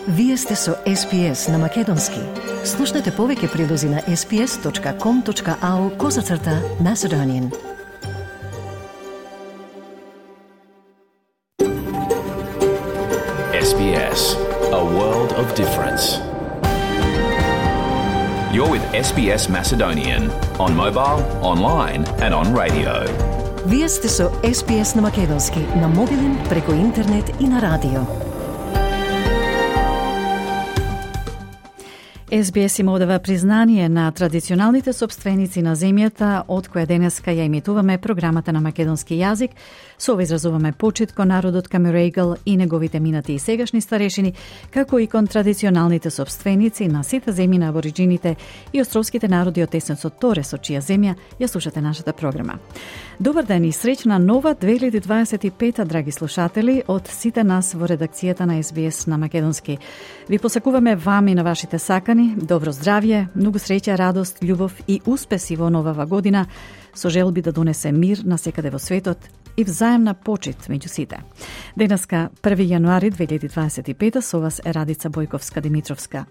Вие сте со SPS на Македонски. Слушнете повеќе прилози на sps.com.au/Macedonian. SBS, a world of difference. You're with SBS Macedonian on mobile, online and on radio. Вие сте со SPS на Македонски на мобилен, преку интернет и на радио. SBS им одава признание на традиционалните собственици на земјата, од која денеска ја имитуваме програмата на македонски јазик. Со ова изразуваме почит кон народот Камерегал и неговите минати и сегашни старешини, како и кон традиционалните собственици на сите земји на абориджините и островските народи од Тесенцот Торе, со чија земја ја слушате нашата програма. Добар ден и среќна нова 2025, драги слушатели, од сите нас во редакцијата на SBS на Македонски. Ви посакуваме вам и на вашите сакани добро здравје, многу среќа, радост, љубов и успеси во новава година, со желби да донесе мир на секаде во светот и взаемна почит меѓу сите. Денеска, 1 јануари 2025, со вас е Радица Бојковска-Димитровска.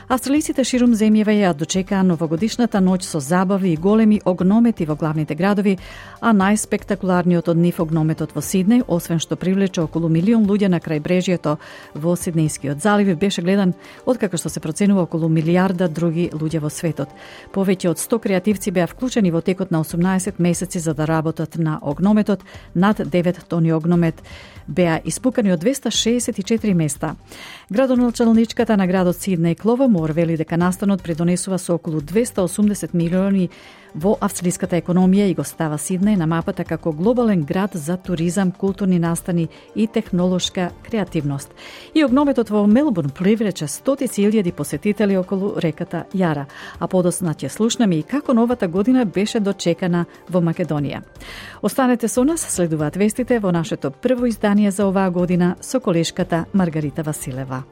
Австралиците ширум земјава ја дочекаа новогодишната ноќ со забави и големи огномети во главните градови, а најспектакуларниот од нив огнометот во Сиднеј, освен што привлече околу 1 милион луѓе на крајбрежјето во Сиднејскиот залив, беше гледан откако што се проценува околу милијарда други луѓе во светот. Повеќе од 100 креативци беа вклучени во текот на 18 месеци за да работат на огнометот. Над 9 тони огномет беа испукани од 264 места. Градоначалничката на градот Сиднеј Клова Мор вели дека настанот придонесува со околу 280 милиони во австралиската економија и го става Сиднеј на мапата како глобален град за туризам, културни настани и технолошка креативност. И огнометот во Мелбурн привлече стотици илјади посетители околу реката Јара, а подоцна ќе слушнеме и како новата година беше дочекана во Македонија. Останете со нас, следуваат вестите во нашето прво издание за оваа година со колешката Маргарита Василева.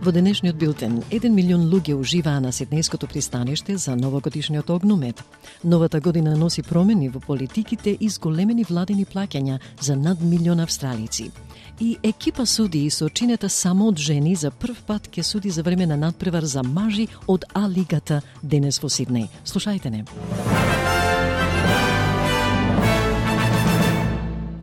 Во денешниот билтен, 1 милион луѓе уживаа на Сиднејското пристаниште за новогодишниот огномет. Новата година носи промени во политиките и зголемени владени плаќања за над милион австралици. И екипа судии со чинета само од жени за прв пат ќе суди за време на надпревар за мажи од А-лигата денес во Сиднеј. Слушајте не.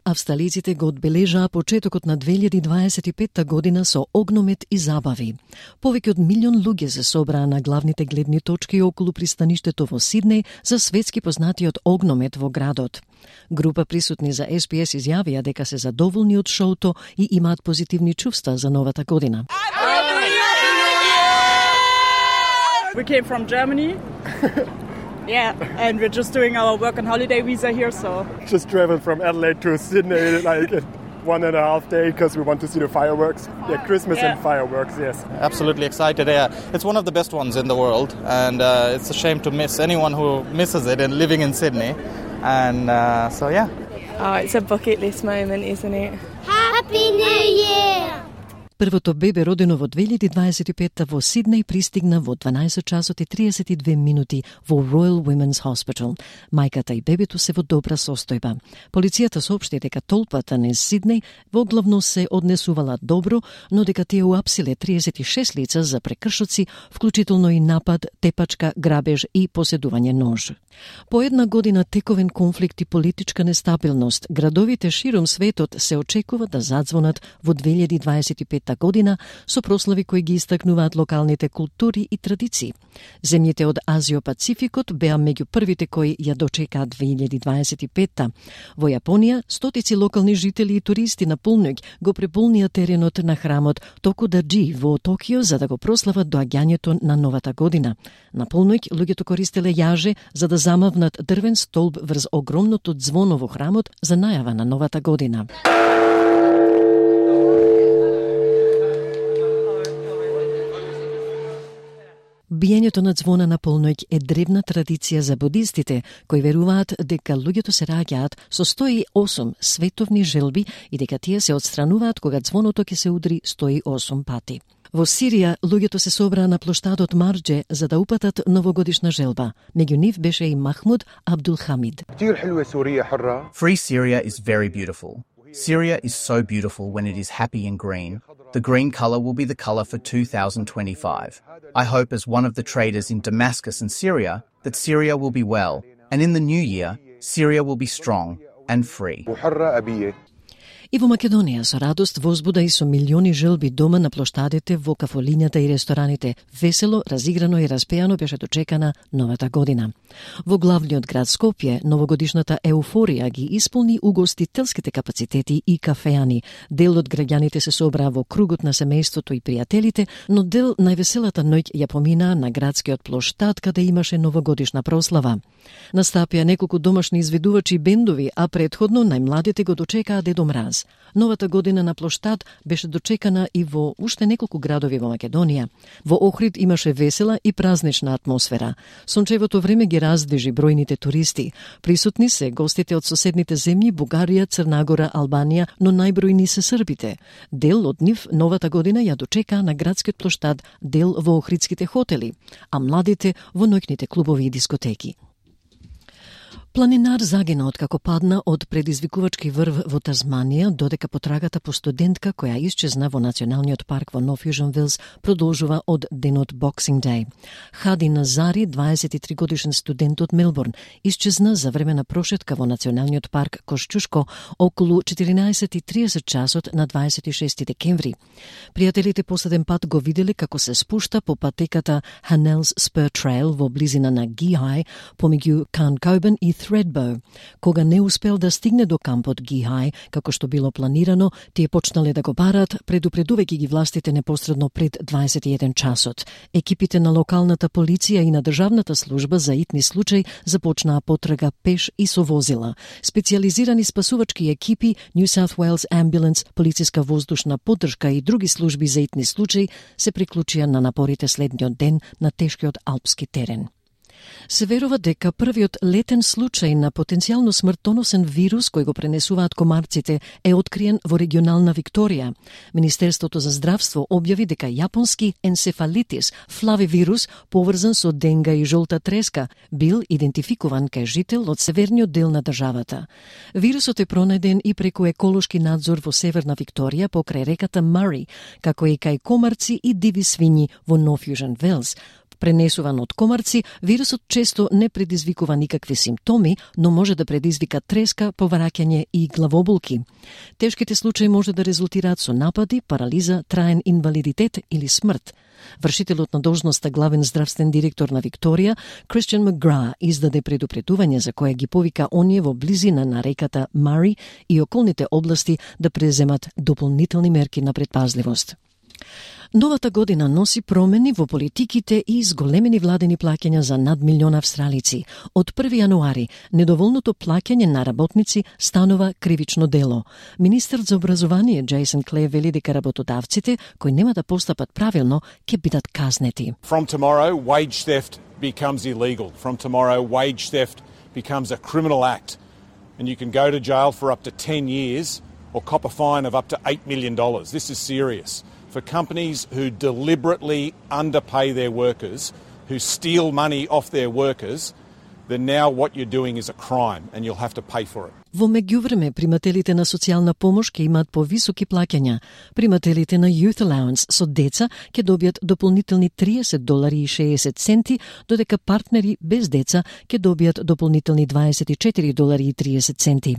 Австралиците го одбележаа почетокот на 2025 година со огномет и забави. Повеќе од милион луѓе се собраа на главните гледни точки околу пристаништето во Сиднеј за светски познатиот огномет во градот. Група присутни за SPS изјавија дека се задоволни од шоуто и имаат позитивни чувства за новата година. We came from Germany. Yeah, and we're just doing our work and holiday visa here, so... Just traveled from Adelaide to Sydney like in 1.5 days because we want to see the fireworks. Yeah, Christmas and fireworks, yes. Absolutely excited, yeah. It's one of the best ones in the world, and it's a shame to miss anyone who misses it and living in Sydney. And so, yeah. Oh, it's a bucket list moment, isn't it? Happy New Year! Првото бебе родено во 2025 во Сиднеј пристигна во 12 часот и 32 минути во Royal Women's Hospital. Мајката и бебето се во добра состојба. Полицијата соопшти дека толпата низ Сиднеј воглавно се однесувала добро, но дека тие уапсиле 36 лица за прекршоци, вклучително и напад, тепачка, грабеж и поседување нож. По една година тековен конфликт и политичка нестабилност, градовите широм светот се очекува да задзвонат во 2025 година со прослави кои ги истакнуваат локалните култури и традиции. Земјите од Азио-Пацификот беа меѓу првите кои ја дочекаат 2025. Во Јапонија, стотици локални жители и туристи на полноќ го преполнија теренот на храмот Токудаџи во Токио за да го прослават доаѓањето на новата година. На полноќ луѓето користеле јаже за да замавнат дрвен столб врз огромното ѕвоно во храмот за најава на новата година. Биењето на ѕвона на полноќ е древна традиција за будистите, кои веруваат дека луѓето се раѓаат со 108 световни желби и дека тие се отстрануваат кога ѕвоното ќе се удри 108 пати. Во Сирија, луѓето се собраа на плоштадот Мардже за да упатат новогодишна желба. Меѓу нив беше и Махмуд Абдул Хамид. Free Syria is very beautiful. Syria is so beautiful when it is happy and green. The green colour will be the colour for 2025. I hope as one of the traders in Damascus and Syria that Syria will be well, and in the new year, Syria will be strong and free. И во Македонија со радост возбуда и со милиони желби дома на плоштадите, во кафолињата и рестораните. Весело, разиграно и распеано беше дочекана новата година. Во главниот град Скопје, новогодишната еуфорија ги исполни угостителските капацитети и кафеани. Дел од граѓаните се собраа во кругот на семејството и пријателите, но дел највеселата ноќ ја помина на градскиот плоштад каде имаше новогодишна прослава. Настапија неколку домашни изведувачи бендови, а претходно најмладите го дочекаа Дедо Мраз. Новата година на плоштад беше дочекана и во уште неколку градови во Македонија. Во Охрид имаше весела и празнична атмосфера. Сончевото време ги раздвижи бројните туристи. Присутни се гостите од соседните земји Бугарија, Црна Гора, Албанија, но најбројни се србите. Дел од нив новата година ја дочекаа на градскиот плоштад, дел во охридските хотели, а младите во ноќните клубови и дискотеки. Планинар загина откако падна од предизвикувачки врв во Тазманија, додека потрагата по студентка која исчезна во Националниот парк во Нов Јужен Велс продолжува од денот Boxing Day. Хади Назари, 23 годишен студент од Мелбурн, исчезна за време на прошетка во Националниот парк Кошчушко околу 14:30 часот на 26 декември. Пријателите последен пат го виделе како се спушта по патеката Hanel's Spur Trail во близина на Гихај, помеѓу Cancoban и Thredbo. Кога не успел да стигне до кампот Гихај, како што било планирано, тие почнале да го барат, предупредувајќи ги властите непосредно пред 21 часот. Екипите на локалната полиција и на државната служба за итни случаи започнаа потрага пеш и со возила. Специјализирани спасувачки екипи, New South Wales Ambulance, полициска воздушна поддршка и други служби за итни случаи се приклучија на напорите следниот ден на тешкиот алпски терен. Се верува дека првиот летен случај на потенцијално смртоносен вирус кој го пренесуваат комарците е откриен во регионална Викторија. Министерството за здравство објави дека јапонски енцефалитис, флавивирус, поврзан со денга и жолта треска, бил идентификуван кај жител од северниот дел на државата. Вирусот е пронајден и преку еколошки надзор во северна Викторија покрај реката Мари, како и кај комарци и диви свињи во Нов Јужен Велс. Пренесуван од комарци, вирусот често не предизвикува никакви симптоми, но може да предизвика треска, повраќање и главоболки. Тешките случаи може да резултираат со напади, парализа, траен инвалидитет или смрт. Вршителот на должноста главен здравствен директор на Викторија, Кристиан Макгра, издаде предупредување за кое ги повика оние во близина на реката Мари и околните области да преземат дополнителни мерки на предпазливост. Новата година носи промени во политиките и зголемени владени плаќања за над милион австралици. Од 1 јануари, недоволното плаќање на работници станува кривично дело. Министерот за образование Джейсон Клеј вели дека работодавците кои нема да постапат правилно ќе бидат казнети. From tomorrow, wage theft becomes illegal. From tomorrow, wage theft becomes a criminal act. And you can go to jail for up to 10 years or cop a fine of up to $8 million. This is serious. For companies who deliberately underpay their workers, who steal money off their workers, then now what you're doing is a crime and you'll have to pay for it. Во меѓувреме, примателите на социјална помош ќе имаат повисоки плаќања. Примателите на Youth Allowance со деца ќе добијат дополнителни $30.60, додека партнери без деца ќе добијат дополнителни $24.30.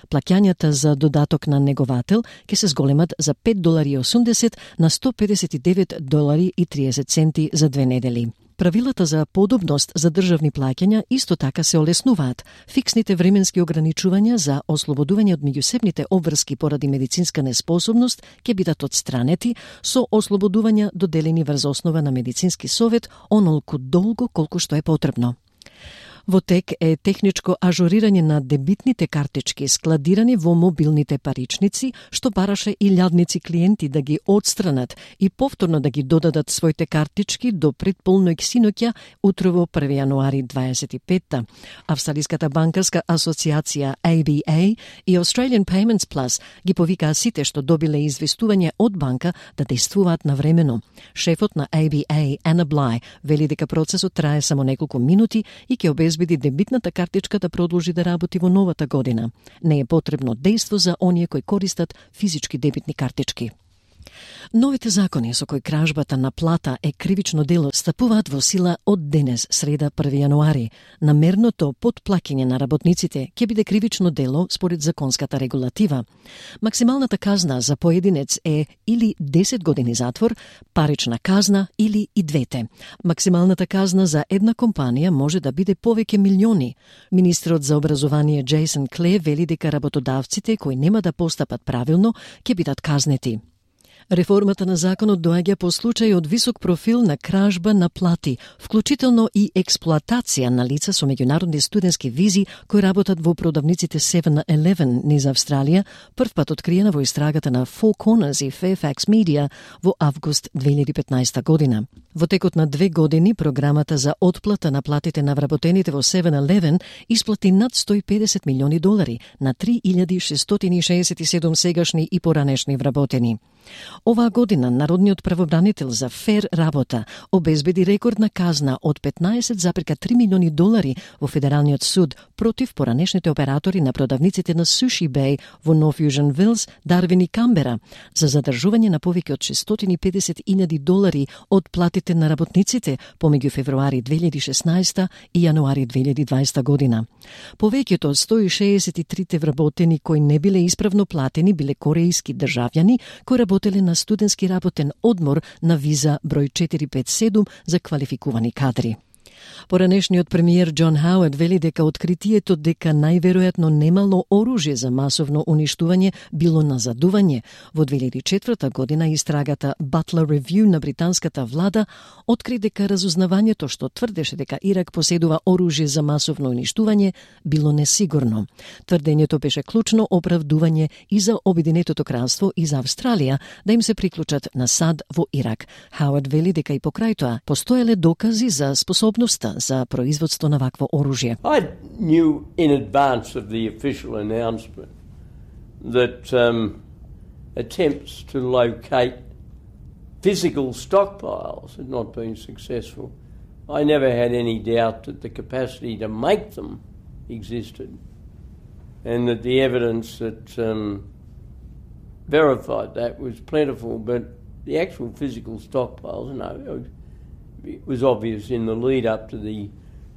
Плаќањата за додаток на неговател ќе се зголемат за $5.80 на $159.30 за 2 недели. Правилата за подобност за државни плаќања исто така се олеснуваат. Фиксните временски ограничувања за ослободување од меѓусебните обврски поради медицинска неспособност ќе бидат отстранети со ослободувања доделени врз основа на медицински совет онолку долго колку што е потребно. Во тек е техничко ажурирање на дебитните картички складирани во мобилните паричници, што бараше илјадници клиенти да ги отстранат и повторно да ги додадат своите картички до предполној синоќа утрово 1 јануари 25-та. Австралиската банкарска асоциација ABA и Australian Payments Plus ги повикаа сите што добиле известување од банка да действуваат навремено. Шефот на ABA, Anna Bly, вели дека процесот трае само неколку минути и ќе обезбеди дебитната картичка да продолжи да работи во новата година. Не е потребно дејство за оние кои користат физички дебитни картички. Новите закони со кои кражбата на плата е кривично дело стапуваат во сила од денес, среда 1 јануари. Намерното потплаќање на работниците ќе биде кривично дело според законската регулатива. Максималната казна за поединец е или 10 години затвор, парична казна или и двете. Максималната казна за една компанија може да биде повеќе милиони. Министрот за образование Джейсон Кле вели дека работодавците кои нема да постапат правилно ќе бидат казнети. Реформата на законот доаѓа по случај од висок профил на кражба на плати, вклучително и експлоатација на лица со меѓународни студентски визи кои работат во продавниците 7-Eleven низ Австралија, првпат откриена во истрагата на Four Corners и Fairfax Media во август 2015 година. Во текот на 2 години, програмата за отплата на платите на вработените во 7-Eleven исплати над $150 милиони на 3667 сегашни и поранешни вработени. Оваа година Народниот правобранител за фер работа обезбеди рекордна казна од $15,3 милиони во Федералниот суд против поранешните оператори на продавниците на Sushi Bay во North Fusion Wills, Дарвин и Камбера за задржување на повеќе од $650,000 од платите на работниците помеѓу февруари 2016 и јануари 2020 година. Повеќето од 163 вработени кои не биле исправно платени биле корејски државјани кои работеле на студентски работен одмор на виза број 457 за квалификувани кадри. Поранешниот премиер Џон Хауард вели дека откритието дека најверојатно немало оружје за масовно уништување било назадување. Во 2004 година истрагата Butler Review на британската влада откри дека разузнавањето што тврдеше дека Ирак поседува оружје за масовно уништување било несигурно. Тврдењето беше клучно оправдување и за Обединетото кралство и за Австралија да им се приклучат на САД во Ирак. Хауард вели дека и покрај тоа постоеле докази за способноста за производство на вакво оружје. I knew in advance of the official announcement that attempts to locate physical stockpiles had not been successful. I never had any doubt that the capacity to make them existed and that the evidence that verified that was plentiful, but the actual physical stockpiles, no, it was obvious in the lead up to the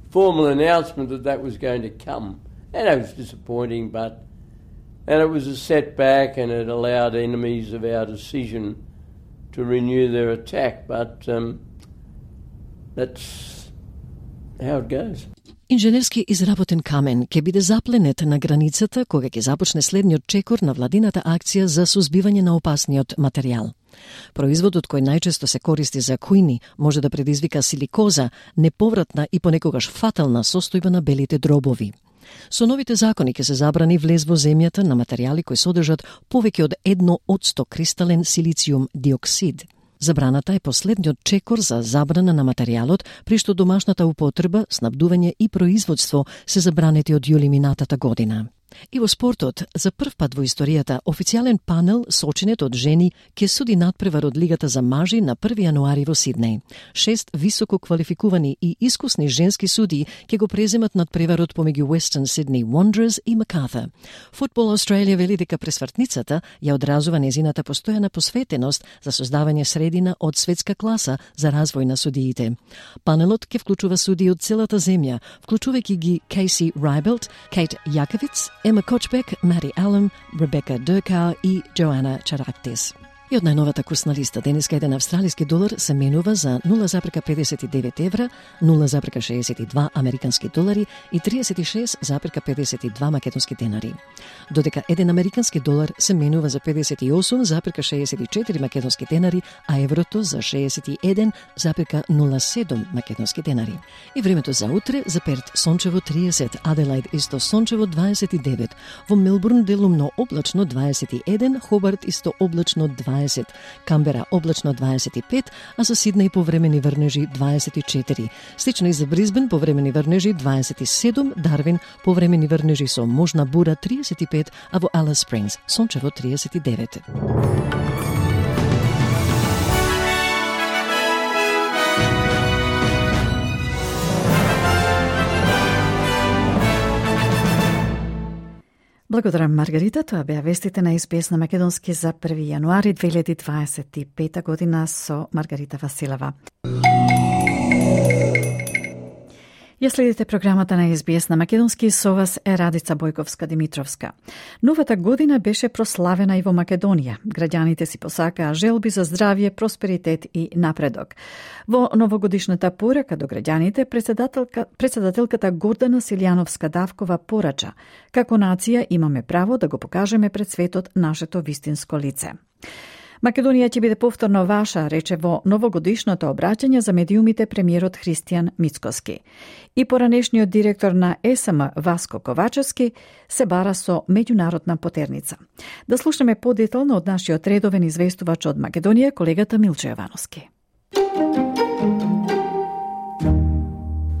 formal announcement that was going to come. And it was disappointing, and it was a setback, and it allowed enemies of our decision to renew their attack, but that's how it goes. Инженерски изработен камен ќе биде запленет на границата кога ќе започне следниот чекор на владината акција за сузбивање на опасниот материјал. Производот кој најчесто се користи за кујни може да предизвика силикоза, неповратна и понекогаш фатална состојба на белите дробови. Со новите закони ќе се забрани влез во земјата на материјали кои содржат повеќе од 1% кристален силициум диоксид. Забраната е последниот чекор за забрана на материјалот, при што домашната употреба, снабдување и производство се забранети од јули минатата година. И во спортот, за прв пат во историјата, официјален панел сочинет од жени ќе суди надпревар од Лигата за мажи на 1 јануари во Сиднеј. 6 високо квалификувани и искусни женски суди ќе го преземат надпреварот помеѓу Western Sydney Wanderers и Macarthur. Football Australia вели дека пресвртницата ја одразува незината постојана посветеност за создавање средина од светска класа за развој на судиите. Панелот ќе вклучува судии од целата земја, вклучувајќи ги Casey Rybelt, Kate Jakovic, Emma Kochbeck, Maddie Allen, Rebecca Durkow и Joanna Charaktis. И од најновата курсна листа, денеска еден австралиски долар се менува за 0,59 евра, 0,62 американски долари и 36,52 македонски денари. Додека еден американски долар се менува за 58,64 македонски денари, а еврото за 61,07 македонски денари. И времето за утре: за Перт сончево 30, Аделаид исто сончево 29, во Мелбурн делумно облачно 21, Хобарт исто облачно 20, Камбера облачно 25, а за Сиднеј повремени врнежи 24. Слично и за Брисбен повремени врнежи 27, Дарвин повремени врнежи со можна бура 35, а во Алис Спрингс сончево 39. Благодарам, Маргарита. Тоа беа вестите на СБС на македонски за 1 јануари 2025 година со Маргарита Василева. Ја следите програмата на СБС на македонски, со вас е Радица Бојковска-Димитровска. Новата година беше прославена и во Македонија. Граѓаните си посакаа желби за здравје, просперитет и напредок. Во новогодишната порака до граѓаните, председателката Гордана Силјановска-Давкова порача: како нација имаме право да го покажеме пред светот нашето вистинско лице. Македонија ќе биде повторно ваша, рече во новогодишното обраќање за медиумите премиерот Христијан Мицкоски. И поранешниот директор на СМ Васко Ковачевски се бара со меѓународна потерница. Да слушаме подетално од нашиот редовен известувач од Македонија, колегата Милчо Јовановски.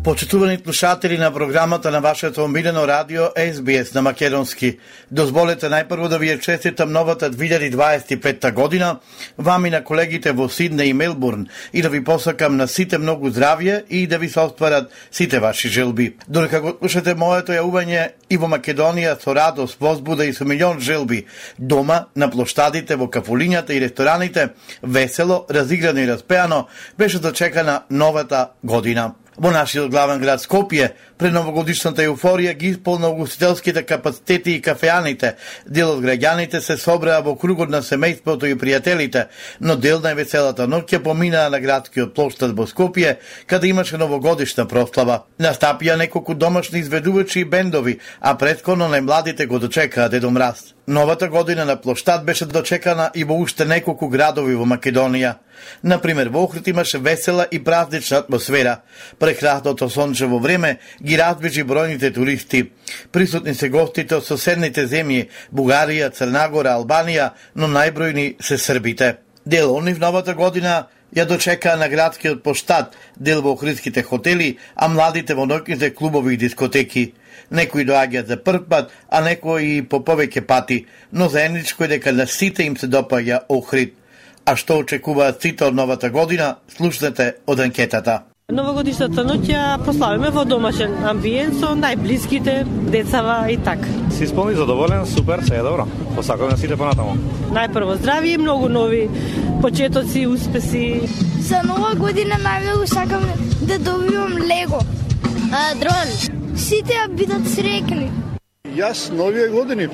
Почитувани слушатели на програмата на вашето омилено радио SBS на македонски, дозволете најпрво да ви ја честитам новата 2025 година, вам и на колегите во Сиднеј и Мелбурн, и да ви посакам на сите многу здравје и да ви се остварат сите ваши желби. Додека го слушате моето јавување и во Македонија со радост, возбуда и со милион желби, дома, на плоштадите, во кафулињата и рестораните, весело, разиграно и распеано, беше дочекана новата година. Во нашиот главен град Скопје, пред новогодишната еуфорија ги исполна угостителските капацитети и кафеаните. Дел од граѓаните се собраа во кругот на семејството и пријателите, но дел на веселата ноќ ќе поминаа на градскиот плоштад во Скопје, каде имаше новогодишна прослава. Настапија неколку домашни изведувачи и бендови, а претходно најмладите го дочекаа Дедо Мраз. Новата година на плоштад беше дочекана и во уште неколку градови во Македонија. Например, во Охрид имаше весела и празнична атмосфера. Прекрасното сончево време ги разбежи бројните туристи. Присутни се гостите од соседните земји Бугарија, Црнагора, Албанија, но најбројни се србите. Дел од нив новата година ја дочекаа на градскиот плоштад, дел во охридските хотели, а младите во ноќните клубови и дискотеки. Некои доаѓаат за прв пат, а некои и по повеќе пати, но заедничко е дека на сите им се допаѓа Охрид. А што очекуваат сите од новата година, слушнете од анкетата. Новогодишната ноќ ја прославиме во домашен амбиент со најблиските, децава и така. Си исполни задоволен, супер, се е добро. Посакувам на сите понатаму. Најпрво здравје и многу нови почетоци, успеси. За нова година најмногу сакам да добивам Лего. Дрон. Сите ја бидат среќни. Јас новија години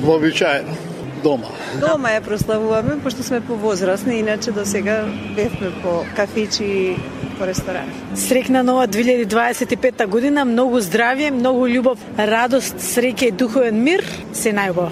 вообичаено дома. Дома ја прославуваме, пошто сме повозрасни, иначе до сега бевме по кафичи и по ресторани. Среќна нова 2025 година, многу здравје, многу љубов, радост, среќа и духовен мир, се најубаво.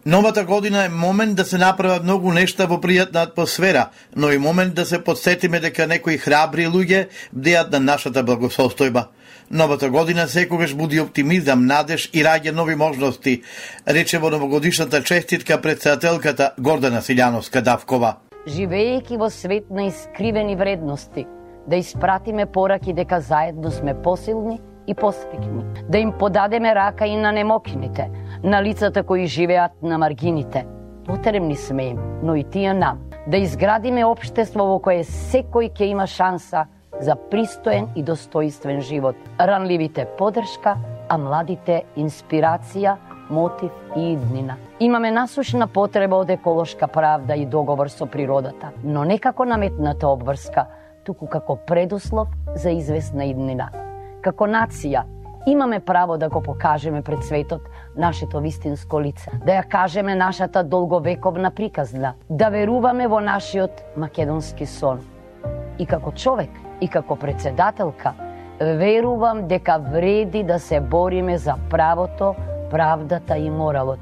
Новата година е момент да се направат многу нешта во пријатна атмосфера, но и момент да се подсетиме дека некои храбри луѓе бдеат на нашата благосостојба. Новата година секогаш буди оптимизам, надеж и раѓа нови можности, рече во новогодишната честитка председателката Гордана Силјановска-Давкова. Живеејќи во свет на искривени вредности, да испратиме пораки дека заедно сме посилни и посрекни, да им подадеме рака и на немокините, на лицата кои живеат на маргините. Потребни сме им, но и тие нам, да изградиме општество во кое секој ќе има шанса за пристоен и достојствен живот. Ранливите подршка, а младите инспирација, мотив и иднина. Имаме насушна потреба од еколошка правда и договор со природата, но не како наметната обврска, туку како предуслов за известна иднина. Како нација Имаме право да го покажеме пред светот нашето вистинско лице, да ја кажеме нашата долговековна приказна, да веруваме во нашиот македонски сон. И како човек, и како председателка, верувам дека вреди да се бориме за правото, правдата и моралот.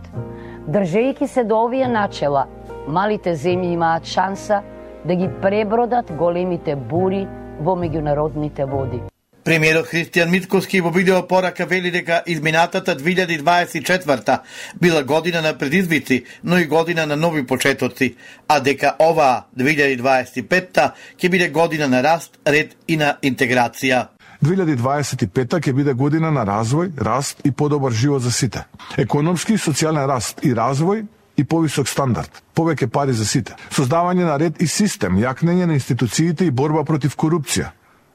Држејќи се до овие начела, малите земји имаат шанса да ги пребродат големите бури во меѓународните води. Премиерот Христијан Мицкоски во видео порака вели дека изминатата 2024 била година на предизвици, но и година на нови почетоци, а дека оваа 2025 ќе биде година на раст, ред и на интеграција. 2025 ќе биде година на развој, раст и подобар живот за сите. Економски и социјален раст и развој и повисок стандард, повеќе пари за сите. Создавање на ред и систем, јакнење на институциите и борба против корупција,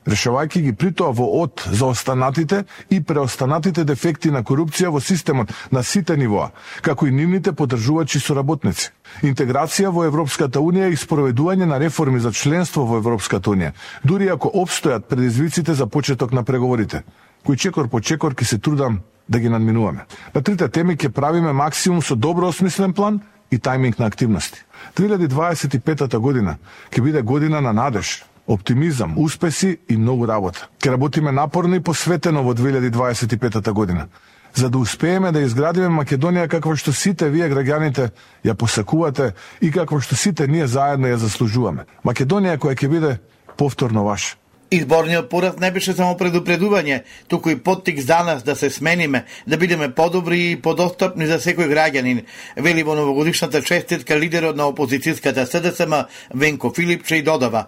решавајќи ги притоа во од за останатите и преостанатите дефекти на корупција во системот на сите нивоа, како и нивните поддржувачи соработници. Интеграција во Европската Унија и спроведување на реформи за членство во Европската Унија, дури ако обстојат предизвиците за почеток на преговорите, кои чекор по чекор ќе се трудам да ги надминуваме. На трите теми ќе правиме максимум со добро осмислен план и тајминг на активности. 2025 година ќе биде година на надеж, оптимизам, успеси и многу работа. Ке работиме напорно и посветено во 2025 година, за да успееме да изградиме Македонија каква што сите вие граѓаните ја посакувате и каква што сите ние заедно ја заслужуваме. Македонија која ќе биде повторно ваша. Изборниот пораз не беше само предупредување, туку и поттик за нас да се смениме, да бидеме подобри и подостапни за секој граѓанин, вели во новогодишната честитка лидерот на опозицијската СДСМ Венко Филипче и додава: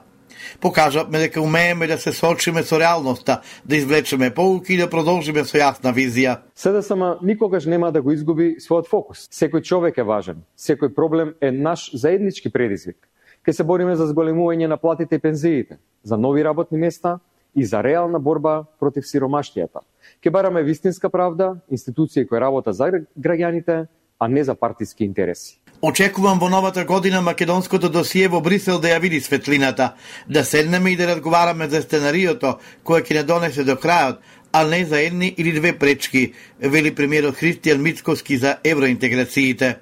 покажавме дека умееме да се соочиме со реалноста, да извлечеме поуки и да продолжиме со јасна визија. СДСМ никогаш нема да го изгуби својот фокус. Секој човек е важен, секој проблем е наш заеднички предизвик. Ке се бориме за зголемување на платите и пензиите, за нови работни места и за реална борба против сиромаштијата. Ке бараме вистинска правда, институции кои работат за граѓаните, а не за партиски интереси. Очекувам во новата година македонското досие во Брисел да ја види светлината, да седнеме и да разговараме за сценариото кој ќе не донесе до крајот, а не за едни или две пречки, вели премиерот Христијан Мицкоски за евроинтеграциите.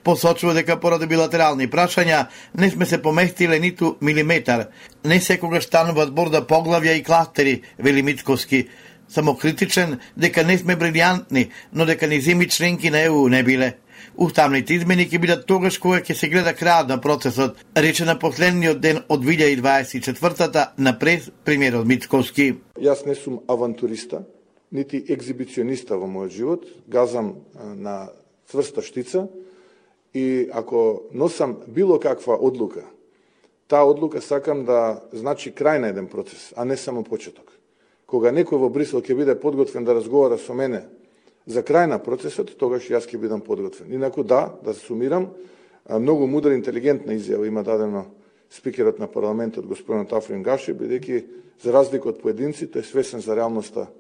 Посочува дека поради билатерални прашања не сме се поместиле ниту милиметар. Не секогаш станува збор за поглавја и кластери, вели Мицкоски. Самокритичен дека не сме брилјантни, но дека ни земји членки на ЕУ не биле. Уставните измени ќе бидат тогаш кога ќе се гледа крајот на процесот, рече на последниот ден од 2024 на прес премиерот Мицкоски. Јас не сум авантуриста, нити екзибициониста во мојот живот, газам на цврста штица и ако носам било каква одлука, таа одлука сакам да значи крај на еден процес, а не само почеток. Кога некој во Брисел ќе биде подготвен да разговара со мене за крај на процесот, тогаш јас ќе бидам подготвен. Инаку да се сумирам, многу мудра и интелигентна изјава има дадено спикерот на парламентот господин Тафрин Гаши, бидејќи за разлика од поединците е свесен за реалноста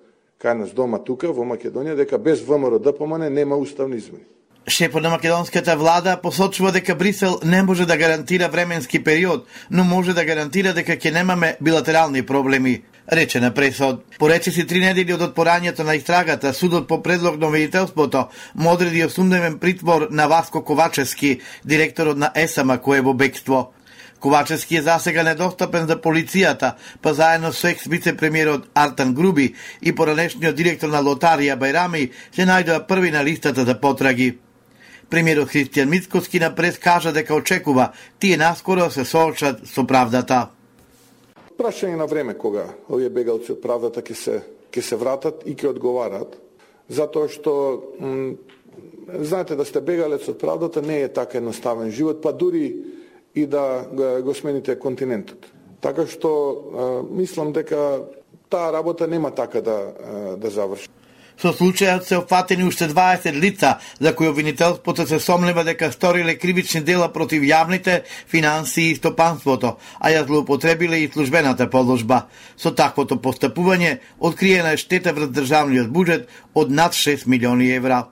кај нас дома тука во Македонија, дека без ВМРО ДПМН нема уставни измени. Шефот на македонската влада посочува дека Брисел не може да гарантира временски период, но може да гарантира дека ќе немаме билатерални проблеми, рече на пресот. Поречиси 3 недели од отпорањето на истрагата, судот по предлог на обвинителството му одреди 8-дневен притвор на Васко Ковачевски, директорот на ЕСАМ, кој е во бегство. Ковачевски е засега недостапен за полицијата, па заедно со екс-вице-премиерот Артан Груби и поранешниот директор на Лотарија Бајрами се најдоа први на листата за потраги. Премиерот Христијан Мицкоски на прес кажа дека очекува тие наскоро се соочат со правдата. Прашање на време кога овие бегалци од правдата ќе се вратат и ќе одговарат, затоа што знаете да сте бегалец од правдата не е така едноставен живот, па дури и да го смените континентот. Така што мислам дека таа работа нема така да заврши. Со случајот се опфатени уште 20 лица, за кои обвинителството се сомнева дека сториле кривични дела против јавните финансии и стопанството, а ја злоупотребиле и службената положба. Со таквото постапување откриена е штета врз државниот буџет од над 6 милиони евра.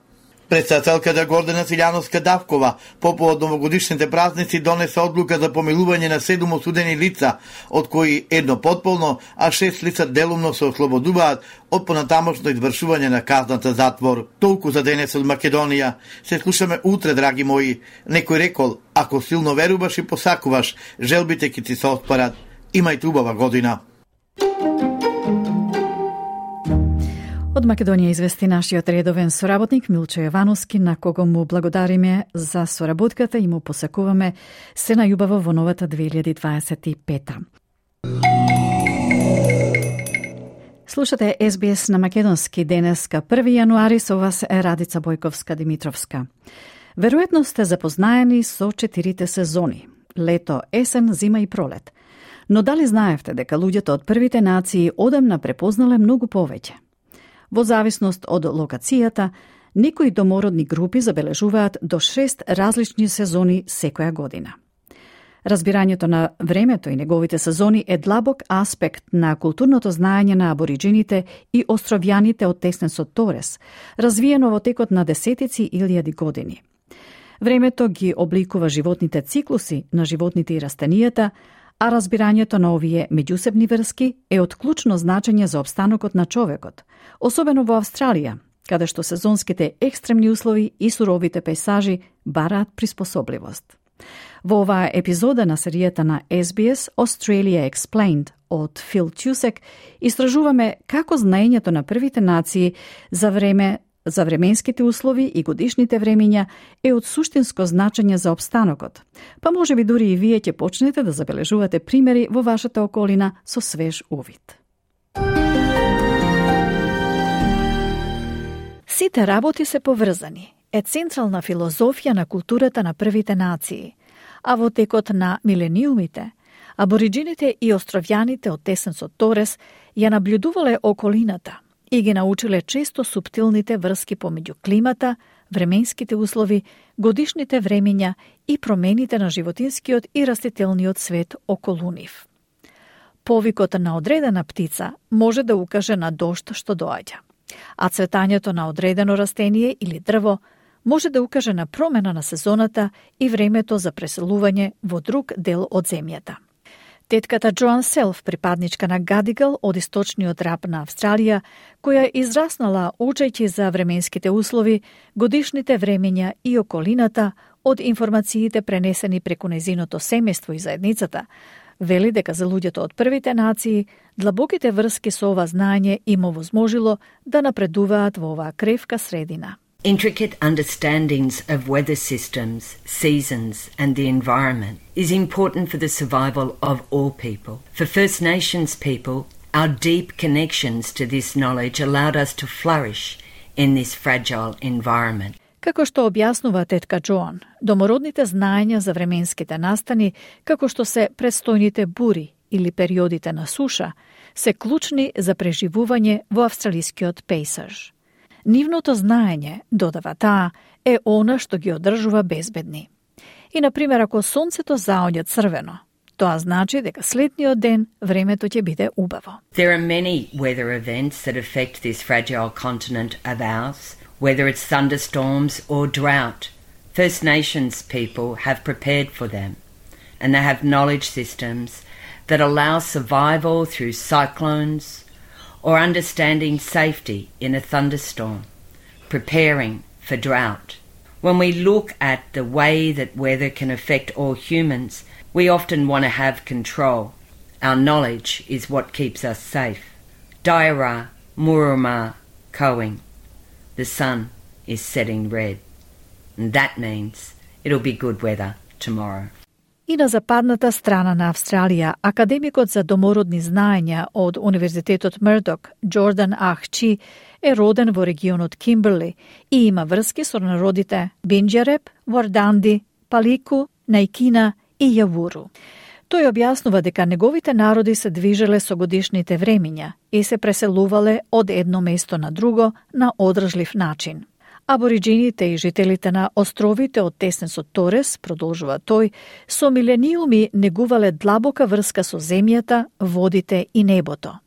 Председателката Гордана Силјановска-Давкова по повод новогодишните празници донесе одлука за помилување на 7 осудени лица, од кои едно потполно, а 6 лица делумно се ослободуваат од понатамошно извршување на казната затвор. Толку за денес од Македонија. Се слушаме утре, драги мои. Некој рекол, ако силно веруваш и посакуваш, желбите ќе ти се оспарат. Имајте убава година. Од Македонија извести нашиот редовен соработник Милчо Јовановски, на кого му благодариме за соработката и му посакуваме се најубаво во новата 2025. Слушате SBS на македонски денеска 1 јануари, со вас е Радица Бојковска-Димитровска. Веројатно сте запознаени со 4 сезони: лето, есен, зима и пролет. Но дали знаевте дека луѓето од првите нации одамна препознале многу повеќе? Во зависност од локацијата, некои домородни групи забележуваат до 6 различни сезони секоја година. Разбирањето на времето и неговите сезони е длабок аспект на културното знаење на абориджините и островјаните од Теснесот Торес, развиено во текот на десетици илјади години. Времето ги обликува животните циклуси на животните и растенијата, а разбирањето на овие меѓусебни врски е од клучно значење за опстанокот на човекот, особено во Австралија, каде што сезонските екстремни услови и суровите пейсажи бараат приспособливост. Во оваа епизода на серијата на SBS Australia Explained од Фил Тюсек истражуваме како знаењето на првите нации за временските услови и годишните времиња е од суштинско значење за опстанокот. Па може би дури и вие ќе почнете да забележувате примери во вашата околина со свеж увид. Сите работи се поврзани е централна филозофија на културата на првите нации, а во текот на милениумите, абориджините и островјаните од Теснесот Торес ја наблюдувале околината и ги научиле често суптилните врски помеѓу климата, временските услови, годишните времиња и промените на животинскиот и растителниот свет околу нив. Повикот на одредена птица може да укаже на дожд што доаѓа, а цветањето на одредено растение или дрво може да укаже на промена на сезоната и времето за преселување во друг дел од земјата. Тетката Джоан Селф, припадничка на Гадигал од источниот раб на Австралија, која израснала учејќи за временските услови, годишните времења и околината од информациите пренесени преку нејзиното семејство и заедницата, вели дека за луѓето од првите нации, длабоките врски со ова знаење им овозможило да напредуваат во оваа кревка средина. Intricate understandings of weather systems, seasons, and the environment is important for the survival of all people. For First Nations people, our deep connections to this knowledge allowed us to flourish in this fragile environment. Како што објаснува тетка Джоан, домородните знаења за временските настани, како што се предстојните бури или периодите на суша, се клучни за преживување во австралискиот пейсаж. Нивното знаење, додава таа, е она што ги одржува безбедни. И, например, ако сонцето заоѓа црвено, тоа значи дека следниот ден времето ќе биде убаво. There are many weather events that affect this fragile continent of ours, whether it's thunderstorms or drought. First Nations people have prepared for them, and they have knowledge systems that allow survival through cyclones, or understanding safety in a thunderstorm, preparing for drought. When we look at the way that weather can affect all humans, we often want to have control. Our knowledge is what keeps us safe. Daira Muruma Koing. The sun is setting red. And that means it'll be good weather tomorrow. И на западната страна на Австралија, академикот за домородни знаења од Универзитетот Мрдок, Джордан Ахчи, е роден во регионот Кимберли и има врски со народите Бинџереп, Варданди, Палику, Најкина и Јавуру. Тој објаснува дека неговите народи се движеле со годишните времиња и се преселувале од едно место на друго на одржлив начин. Абориджините и жителите на островите од Теснесот Торес, продолжува тој, со милениуми негувале длабока врска со земјата, водите и небото.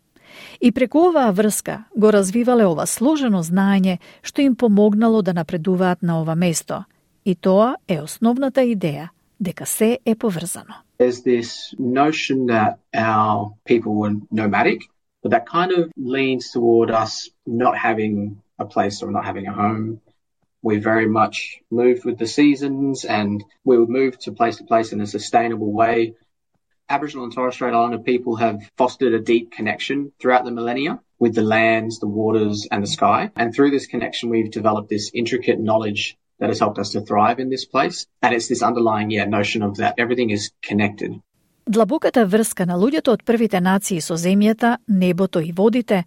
И преку оваа врска го развивале ова сложено знаење што им помогнало да напредуваат на ова место. И тоа е основната идеја, дека се е поврзано. There's this notion that our people were nomadic, but that kind of leans toward us not having a place or not having a home. We very much moved with the seasons and we would move to place in a sustainable way. Aboriginal and Torres Strait Islander people have fostered a deep connection throughout the millennia with the lands, the waters and the sky. And through this connection we've developed this intricate knowledge that has helped us to thrive in this place. And it's this underlying notion of that everything is connected. Длабоката врска на луѓето од првите нации со земјата, небото и водите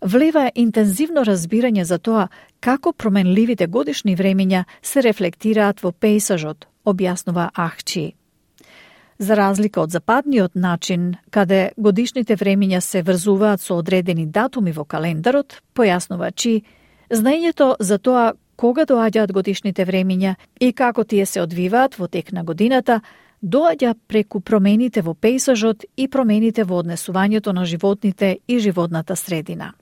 влива интензивно разбирање за тоа како променливите годишни времења се рефлектираат во пејсажот, објаснува Ахчи. За разлика од западниот начин, каде годишните времења се врзуваат со одредени датуми во календарот, појаснува Чи, знаењето за тоа кога доаѓаат годишните времења и како тие се одвиваат во тек на годината, доаѓа преку промените во пејсажот и промените во однесувањето на животните и животната средина.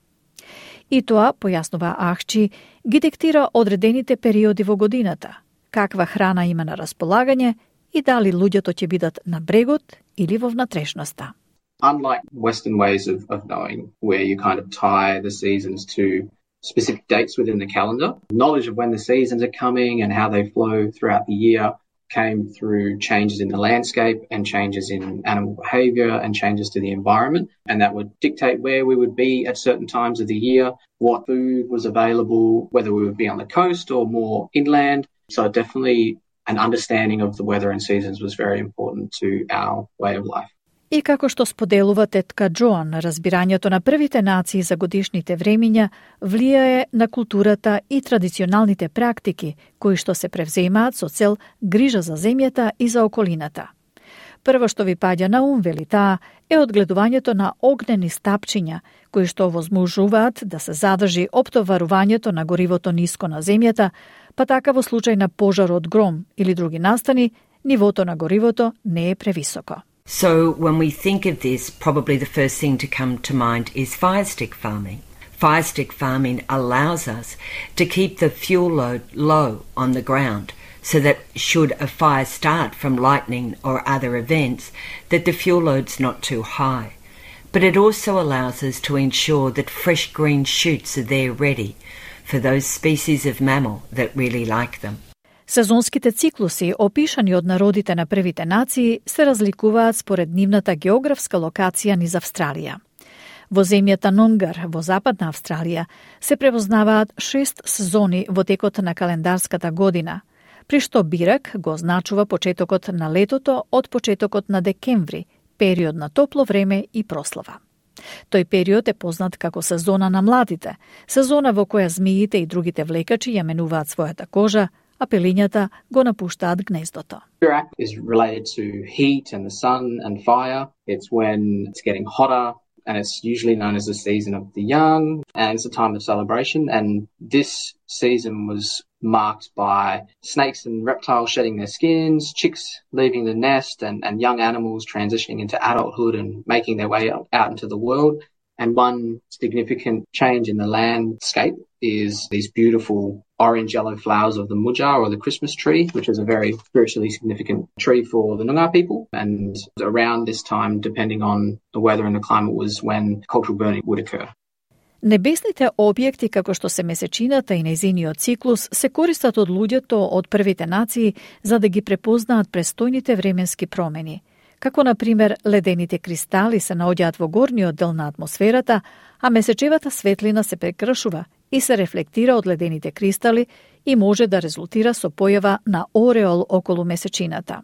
И тоа, појаснува Ахчи, ги диктира одредените периоди во годината, каква храна има на располагање и дали луѓето ќе бидат на брегот или во внатрешноста. Unlike Western ways of knowing, where you kind of tie the seasons to specific dates within the calendar, knowledge of when the seasons are coming and how they flow throughout the year came through changes in the landscape and changes in animal behaviour and changes to the environment, and that would dictate where we would be at certain times of the year, what food was available, whether we would be on the coast or more inland. So definitely an understanding of the weather and seasons was very important to our way of life. И како што споделува тетка Джоан, разбирањето на првите нации за годишните времења влијае на културата и традиционалните практики, кои што се превземаат со цел грижа за земјата и за околината. Прво што ви паѓа на ум, вели таа, е одгледувањето на огнени стапчиња, кои што возможуваат да се задржи оптоварувањето на горивото ниско на земјата, па така во случај на пожар од гром или други настани, нивото на горивото не е превисоко. So when we think of this, probably the first thing to come to mind is fire stick farming. Fire stick farming allows us to keep the fuel load low on the ground so that should a fire start from lightning or other events, that the fuel load's not too high. But it also allows us to ensure that fresh green shoots are there ready for those species of mammal that really like them. Сезонските циклуси, опишани од народите на првите нации, се разликуваат според нивната географска локација низ Австралија. Во земјата Нонгар, во западна Австралија, се препознаваат 6 сезони во текот на календарската година, при што Бирак го означува почетокот на летото од почетокот на декември, период на топло време и прослава. Тој период е познат како сезона на младите, сезона во која змиите и другите влекачи ја менуваат својата кожа, а пелињата го напуштаат гнездото. Birak is related to heat and the sun and fire. It's when it's getting hotter, and it's usually known as the season of the young, and it's a time of celebration. And this season was marked by snakes and reptiles shedding their skins, chicks leaving the nest, and young animals transitioning into adulthood and making their way out into the world. And one significant change in the landscape is these beautiful orange-yellow flowers of the mudjar or the Christmas tree, which is a very spiritually significant tree for the Noongar people. And around this time, depending on the weather and the climate, was when cultural burning would occur. Небесните објекти, како што се месечината и нејзиниот циклус, се користат од луѓето од првите нации за да ги препознаат престојните временски промени. Како, например, ледените кристали се наоѓаат во горниот дел на атмосферата, а месечевата светлина се прекршува и се рефлектира од ледените кристали и може да резултира со појава на ореол околу месечината.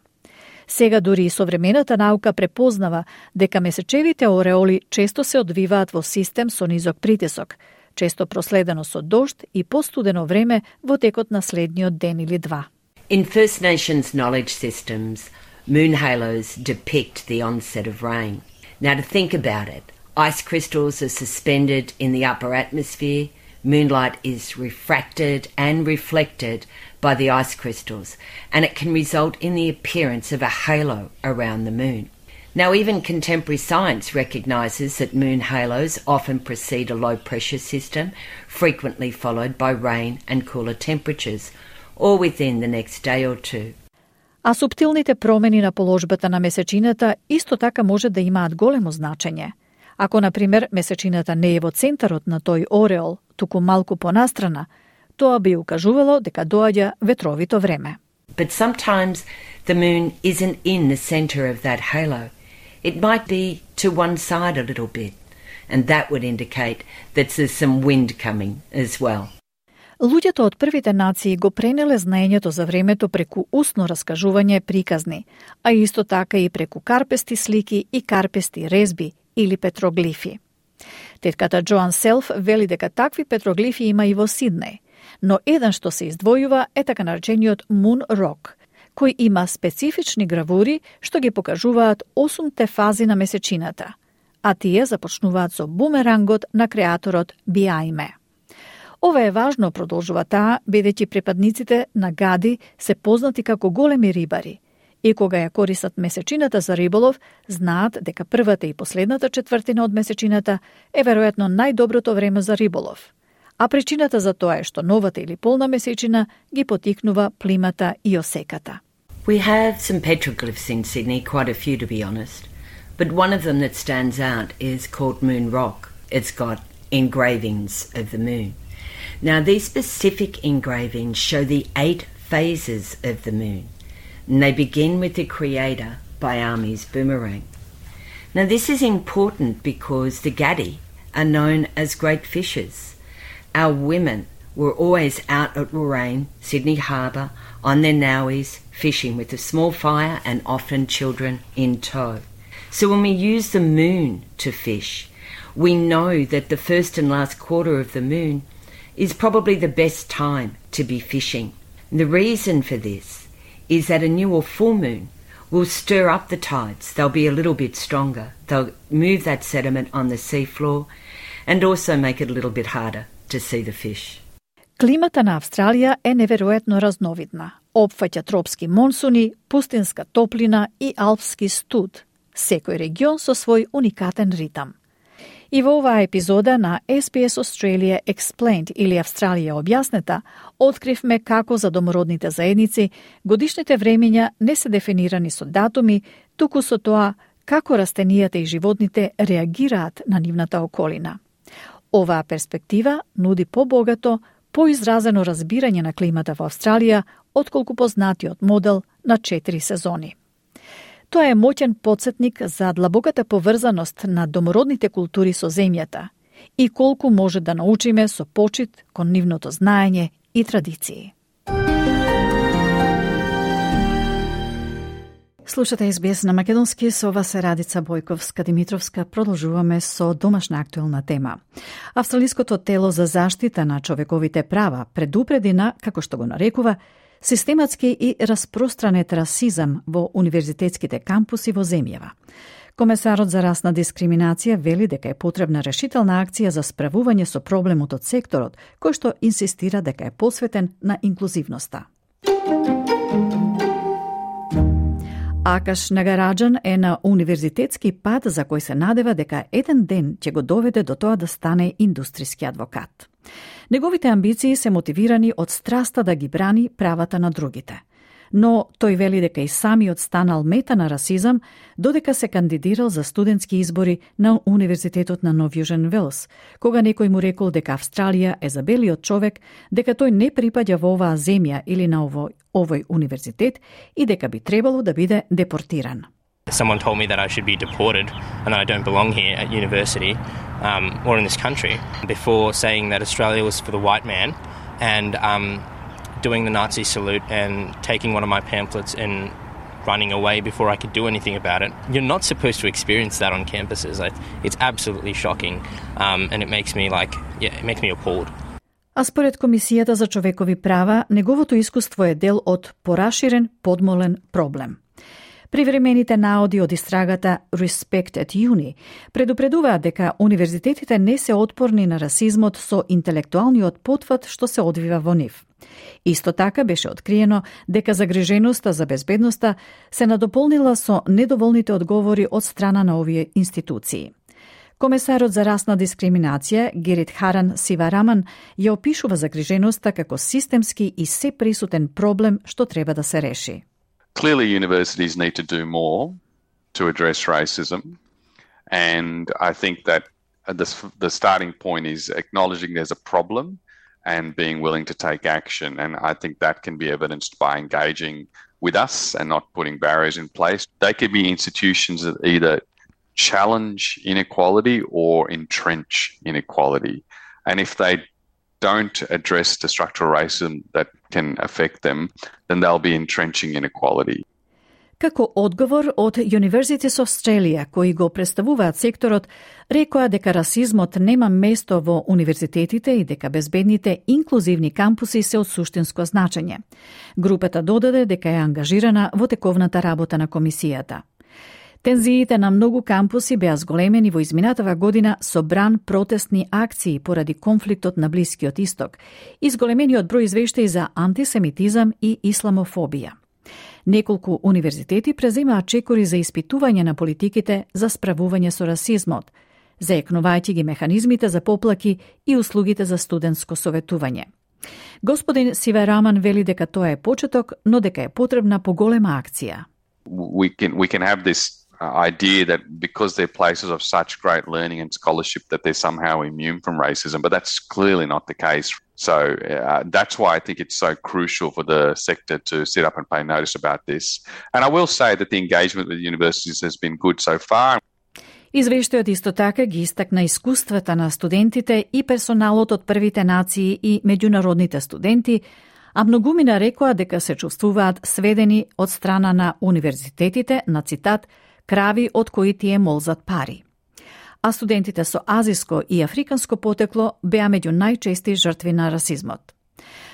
Сега дури и современата наука препознава дека месечевите ореоли често се одвиваат во систем со низок притисок, често проследено со дожд и постудено време во текот на следниот ден или два. In First Nations knowledge systems, moon halos depict the onset of rain. Now to think about it, ice crystals are suspended in the upper atmosphere, moonlight is refracted and reflected by the ice crystals, and it can result in the appearance of a halo around the moon. Now, even contemporary science recognises that moon halos often precede a low-pressure system, frequently followed by rain and cooler temperatures, or within the next day or two. А суптилните промени на положбата на месечината исто така може да имаат големо значење. Ако, например, месечината не е во центарот на тој ореол, туку малку понастрана, тоа би укажувало дека доаѓа ветровито време. But sometimes the moon isn't in the centre of that halo. It might be to one side a little bit, and that would indicate that there's some wind coming as well. Луѓето од првите нации го пренеле знаењето за времето преку устно раскажување приказни, а исто така и преку карпести слики и карпести резби или петроглифи. Тетката Джоан Селф вели дека такви петроглифи има и во Сиднеј, но еден што се издвојува е така наречениот Moon Rock, кој има специфични гравури што ги покажуваат 8-те фази на месечината, а тие започнуваат со бумерангот на креаторот Биаиме. Ова е важно, продолжува таа, бидејќи припадниците на Гади се познати како големи рибари и кога ја користат месечината за риболов, знаат дека првата и последната четвртина од месечината е веројатно најдоброто време за риболов. А причината за тоа е што новата или полна месечина ги потикнува плимата и осеката. We have some petroglyphs in Sydney, quite a few to be honest, but one of them that stands out is called Moon Rock. It's got engravings of the moon. Now, these specific engravings show the 8 phases of the moon, and they begin with the creator, Biami's boomerang. Now, this is important because the Gadi are known as great fishers. Our women were always out at Warrane, Sydney Harbour, on their nowies, fishing with a small fire and often children in tow. So when we use the moon to fish, we know that the first and last quarter of the moon is probably the best time to be fishing. And the reason for this is that a new or full moon will stir up the tides. They'll be a little bit stronger. They'll move that sediment on the seafloor and also make it a little bit harder to see the fish. Климата на Австралија е неверојатно разновидна. Опфаќа тропски монсуни, пустинска топлина и алпски студ, секој регион со свој уникатен ритам. И во оваа епизода на SBS Australia Explained или Австралија објаснета, откривме како за домородните заедници годишните времења не се дефинирани со датуми, туку со тоа како растенијата и животните реагираат на нивната околина. Оваа перспектива нуди побогато, поизразено разбирање на климата во Австралија, отколку познатиот модел на 4 сезони. Тоа е моќен потсетник за длабоката поврзаност на домородните култури со земјата и колку може да научиме со почит кон нивното знаење и традиции. Слушате SBS на македонски, со вас е Радица Бојковска-Димитровска. Продолжуваме со домашна актуелна тема. Австралиското тело за заштита на човековите права предупреди на, како што го нарекува, систематски и распространет расизам во универзитетските кампуси во земјава. Комесарот за расна дискриминација вели дека е потребна решителна акција за справување со проблемот од секторот, кој што инсистира дека е посветен на инклузивноста. Акаш Нагараджан е на универзитетски пат за кој се надева дека еден ден ќе го доведе до тоа да стане индустријски адвокат. Неговите амбиции се мотивирани од страста да ги брани правата на другите. Но тој вели дека и самиот станал мета на расизам додека се кандидирал за студентски избори на Универзитетот на Нов Јужен Велс, кога некој му рекол дека Австралија е забелиот човек, дека тој не припаѓа во оваа земја или на овој универзитет и дека би требало да биде депортиран. Someone told me that I should be deported and that I don't belong here at university or in this country before saying that Australia was for the white man and doing the Nazi salute and taking one of my pamphlets and running away before I could do anything about it. You're not supposed to experience that on campuses. It's absolutely shocking and it makes me appalled. А според Комисијата за човекови права, неговото искуство е дел од пораширен подмолен проблем. Привремените наоди од истрагата Respect at Uni предупредуваат дека универзитетите не се отпорни на расизмот со интелектуалниот потфат што се одвива во нив. Исто така беше откриено дека загриженоста за безбедноста се надополнила со недоволните одговори од страна на овие институции. Комесарот за расна дискриминација Герит Харан Сивараман ја опишува загриженоста како системски и сеприсутен проблем што треба да се реши. Clearly, universities need to do more to address racism, and I think that the starting point is acknowledging there's a problem and being willing to take action. And I think that can be evidenced by engaging with us and not putting barriers in place. They could be institutions that either challenge inequality or entrench inequality. And if they don't address the structural racism that can affect them, then they'll be entrenching inequality. Како одговор од Universities of Australia, кои го представуваат секторот, рекоа дека расизмот нема место во универзитетите и дека безбедните инклузивни кампуси се од суштинско значење. Групата додаде дека е ангажирана во тековната работа на комисијата. Тензиите на многу кампуси беа зголемени во изминатава година со бран протестни акции поради конфликтот на Блискиот Исток и зголемениот број извештаи за антисемитизам и исламофобија. Неколку универзитети преземаат чекори за испитување на политиките за справување со расизмот, заекнувајќи ги механизмите за поплаки и услугите за студентско советување. Господин Сивараман вели дека тоа е почеток, но дека е потребна поголема акција. We can have this idea that because they're places of such great learning and scholarship that they're somehow immune from racism, but that's clearly not the case. So that's why I think it's so crucial for the sector to sit up and pay notice about this. And I will say that the engagement with universities has been good so far. Извештајот исто така ги истакна искуствата на студентите и персоналот од првите нации и меѓународните студенти, а многумина рекоа дека се чувствуваат сведени од страна на универзитетите на, цитат, крави од кои тие молзат пари. А студентите со азиско и африканско потекло беа меѓу најчести жртви на расизмот.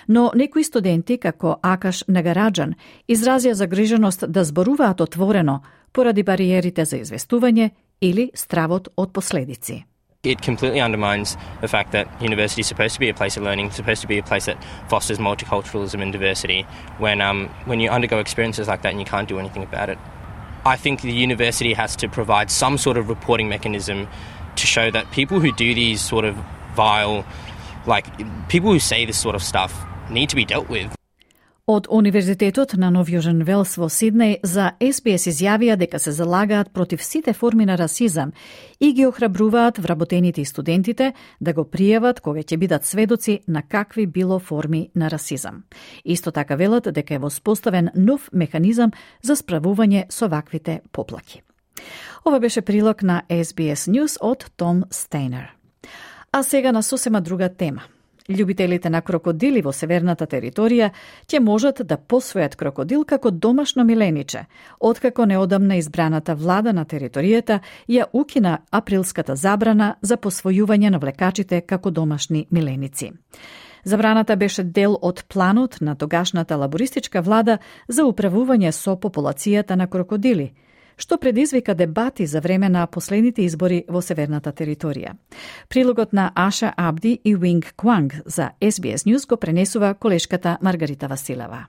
Но некои студенти, како Акаш Нагараджан, изразија загриженост да зборуваат отворено поради бариерите за известување или стравот од последици. It completely undermines the fact that university is supposed to be a place of learning, supposed to be a place that fosters multiculturalism and diversity. When you undergo experiences like that and you can't do anything about it, I think the university has to provide some sort of reporting mechanism to show that people who do these sort of vile, people who say this sort of stuff need to be dealt with. Од Универзитетот на Нов Јужен Велс во Сиднеј за SBS изјавија дека се залагаат против сите форми на расизам и ги охрабруваат вработените и студентите да го пријават кога ќе бидат сведоци на какви било форми на расизам. Исто така велат дека е воспоставен нов механизам за справување со ваквите поплаки. Ова беше прилог на SBS News од Том Стейнер. А сега на сосема друга тема. Љубителите на крокодили во северната територија ќе можат да посвојат крокодил како домашно милениче, откако неодамна избраната влада на територијата ја укина априлската забрана за посвојување на влекачите како домашни миленици. Забраната беше дел од планот на тогашната лабористичка влада за управување со популацијата на крокодили, што предизвика дебати за време на последните избори во северната територија. Прилогот на Аша Абди и Wing Kwang за SBS News го пренесува колешката Маргарита Василева.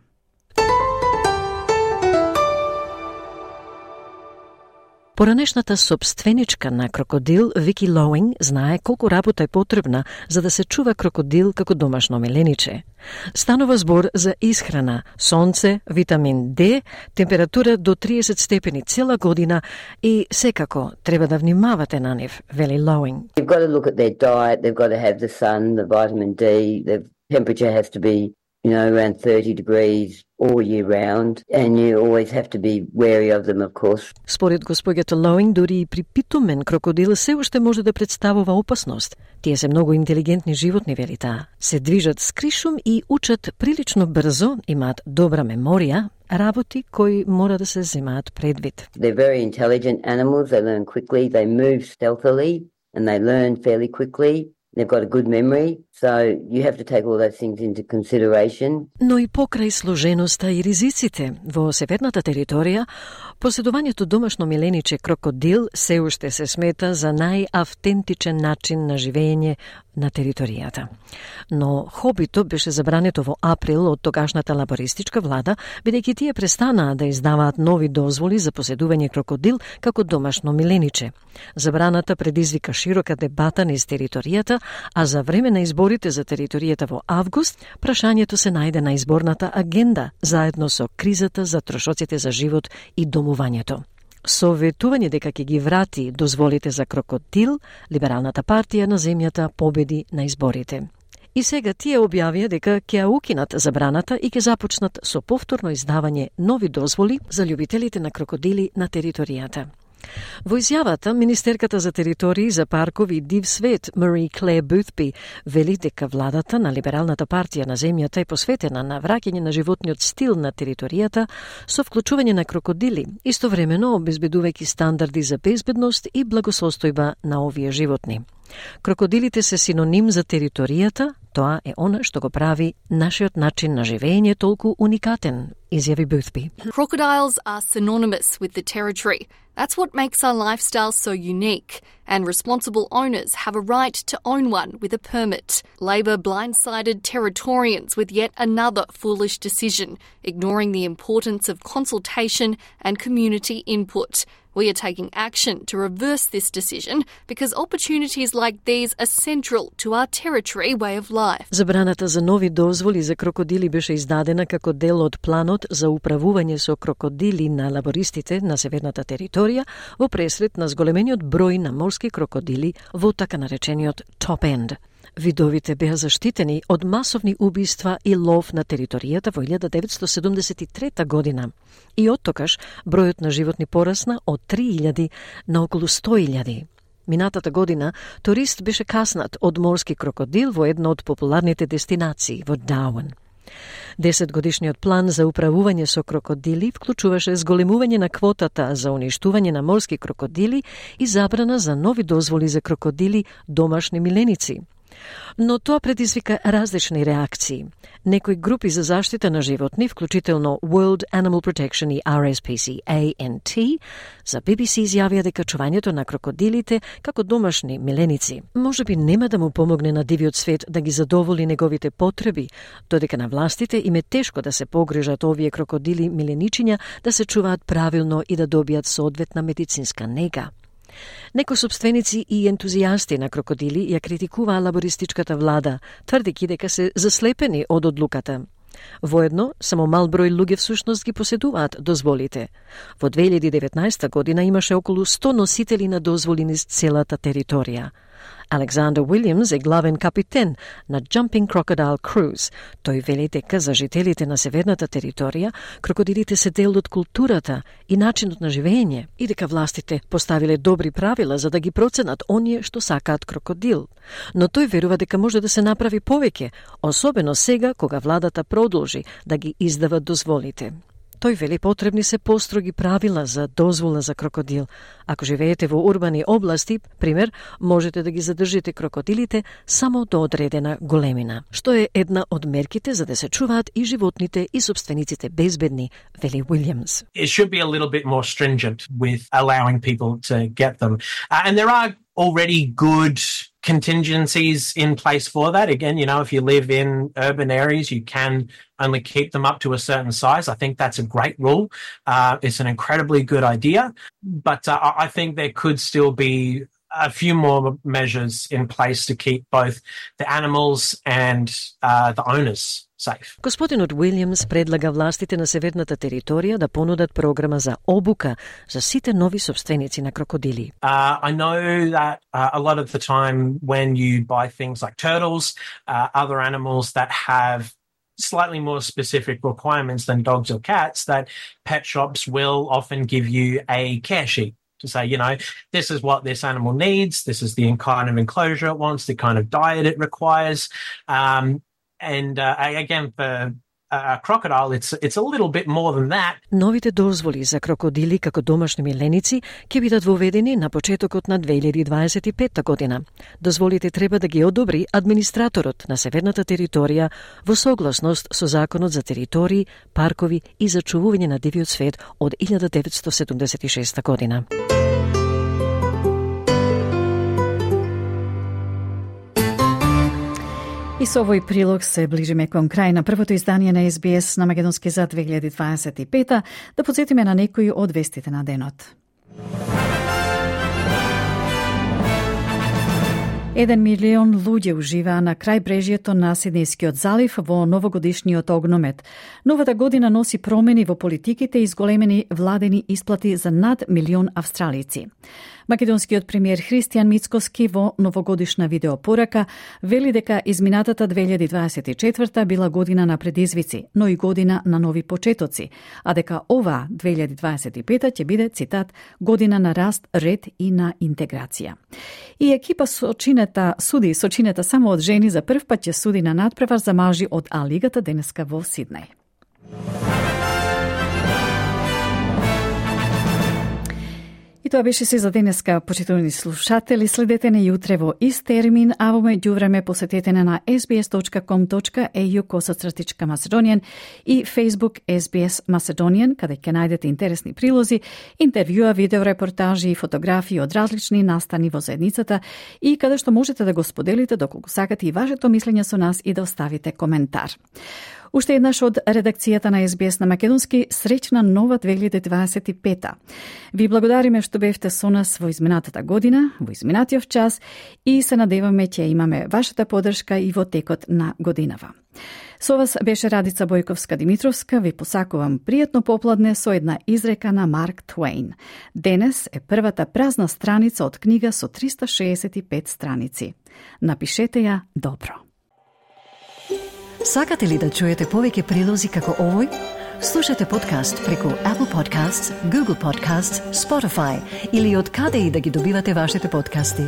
Поранешната собственичка на крокодил Вики Лоуинг знае колку работа е потребна за да се чува крокодил како домашно милениче. Станува збор за исхрана, сонце, витамин Д, температура до 30 степени цела година и секако треба да внимавате на нив, вели Лоуинг. You've got to look at their diet, they've got to have the sun, the vitamin D, the temperature has to be around 30 degrees all year round, and you always have to be wary of them, of course. Според госпоѓата Лоуинг, дури и при питомен крокодил се уште може да представува опасност. Тие се многу интелигентни животни, вели таа. Се движат скришум и учат прилично брзо, имаат добра меморија, работи кои мора да се земаат предвид. They're very intelligent animals, they learn quickly, they move stealthily, and they learn fairly quickly. They've got a good memory. So you have to take all those things into consideration. Но и покрај сложеноста и ризиците во северната територија, поседувањето домашно милениче крокодил се уште се смета за најавтентичен начин на живење на територијата. Но хобито беше забрането во април од тогашната лабористичка влада, бидејќи тие престанаа да издаваат нови дозволи за поседување крокодил како домашно милениче. Забраната предизвика широка дебата низ територијата, а за време на изборите за територијата во август, прашањето се најде на изборната агенда, заедно со кризата за трошоците за живот и домувањето. Со ветување дека ќе ги врати дозволите за крокодил, Либералната партија на земјата победи на изборите. И сега тие објавија дека ќе ја укинат забраната и ќе започнат со повторно издавање нови дозволи за љубителите на крокодили на територијата. Во изјавата, министерката за територии, за паркови и див свет Мари Клер Бутби вели дека владата на Либералната партија на земјата е посветена на враќање на животниот стил на територијата со вклучување на крокодили, истовремено обезбедувајќи стандарди за безбедност и благосостојба на овие животни. Крокодилите се синоним за територијата, тоа е она што го прави нашиот начин на живење толку уникатен, изјави Бутби. Crocodiles are synonymous with the territory. That's what makes our lifestyle so unique, and responsible owners have a right to own one with a permit. Labor blindsided Territorians with yet another foolish decision, ignoring the importance of consultation and community input. We are taking action to reverse this decision because opportunities like these are central to our territory way of life. Забраната за нови дозволи за крокодили беше издадена како дел од планот за управување со крокодили на лабористите на северната територија во пресред на зголемениот број на морски крокодили во така наречениот Top End. Видовите беа заштитени од масовни убиства и лов на територијата во 1973 година. И оттокаш бројот на животни порасна од 3000 на околу 100.000. Минатата година турист беше каснат од морски крокодил во една од популарните дестинации во Дарвин. 10-годишниот план за управување со крокодили вклучуваше зголемување на квотата за уништување на морски крокодили и забрана за нови дозволи за крокодили домашни миленици. Но тоа предизвика различни реакции. Некои групи за заштита на животни, вклучително World Animal Protection и RSPCA&T, за BBC изјавија дека чувањето на крокодилите како домашни миленици можеби нема да му помогне на дивиот свет да ги задоволи неговите потреби, додека на властите им е тешко да се погрижат овие крокодили миленичиња да се чуваат правилно и да добијат соодветна медицинска нега. Некои собственици и ентузијасти на крокодили ја критикуваа лабористичката влада, тврдејќи дека се заслепени од одлуката. Воедно, само мал број луѓе всушност ги поседуваат дозволите. Во 2019 година имаше околу 100 носители на дозволи низ целата територија. Александър Уилјамс е главен капитен на Jumping Crocodile Cruise. Тој вели дека за жителите на северната територија крокодилите се дел од културата и начинот на живење и дека властите поставиле добри правила за да ги проценат оние што сакаат крокодил. Но тој верува дека може да се направи повеќе, особено сега кога владата продолжи да ги издава дозволите. Тој вели потребни се построги правила за дозвола за крокодил. Ако живеете во урбани области, пример, можете да ги задржите крокодилите само до одредена големина, што е една од мерките за да се чуваат и животните и собствениците безбедни, вели Уилјамс. It should be a little bit more stringent with allowing people to get them. And there are already good contingencies in place for that. Again, you know, if you live in urban areas, you can only keep them up to a certain size. I think that's a great rule. It's an incredibly good idea. But I think there could still be a few more measures in place to keep both the animals and the owners safe. Господинот Уилјамс предлага властите на северната територија да понудат програма за обука за сите нови собственици на крокодили. I know that a lot of the time when you buy things like turtles, other animals that have slightly more specific requirements than dogs or cats, that pet shops will often give you a care sheet to say, you know, this is what this animal needs, this is the kind of enclosure it wants, the kind of diet it requires. And again, for a crocodile, it's a little bit more than that. Новите дозволи за крокодили како домашни миленици ќе бидат воведени на почетокот на 2025 година. Дозволите треба да ги одобри администраторот на северната територија во согласност со Законот за територии, паркови и зачувување на дивиот свет од 1976 година. И со овој прилог се ближиме кон крај на првото издание на СБС на Македонски за 2025. Да подсетиме на некои од вестите на денот. 1 милион луѓе уживаа на крајбрежјето на Сиднејскиот залив во новогодишниот огномет. Новата година носи промени во политиките и зголемени владени исплати за над милион австралици. Македонскиот премиер Христијан Мицкоски во новогодишна видеопорака вели дека изминатата 2024 била година на предизвици, но и година на нови почетоци, а дека ова 2025 ќе биде, цитат, година на раст, ред и на интеграција. И екипа суди сочинета само од жени за прв пат ќе суди на надпревар за мажи од А-лигата денеска во Сиднеј. И тоа беше се за денеска, почитувани слушатели. Следете не јутре во ист термин, а во меѓувреме посетете на sbs.com.au/Macedonian и Facebook SBS Macedonian, каде ќе најдете интересни прилози, интервјуа, видеорепортажи и фотографии од различни настани во заедницата и каде што можете да го споделите доколку сакате и вашето мислење со нас и да оставите коментар. Уште еднаш од редакцијата на СБС на Македонски, среќна нова 2025. Ви благодариме што бевте со нас во изминатата година, во изминатиот час и се надеваме ќе имаме вашата поддршка и во текот на годинава. Со вас беше Радица Бојковска-Димитровска, ви посакувам пријатно попладне со една изрека на Марк Твейн. Денес е првата празна страница од книга со 365 страници. Напишете ја добро. Сакате ли да чуете повеќе прилози како овој? Слушате подкаст преку Apple Podcasts, Google Podcasts, Spotify или од каде и да ги добивате вашите подкасти.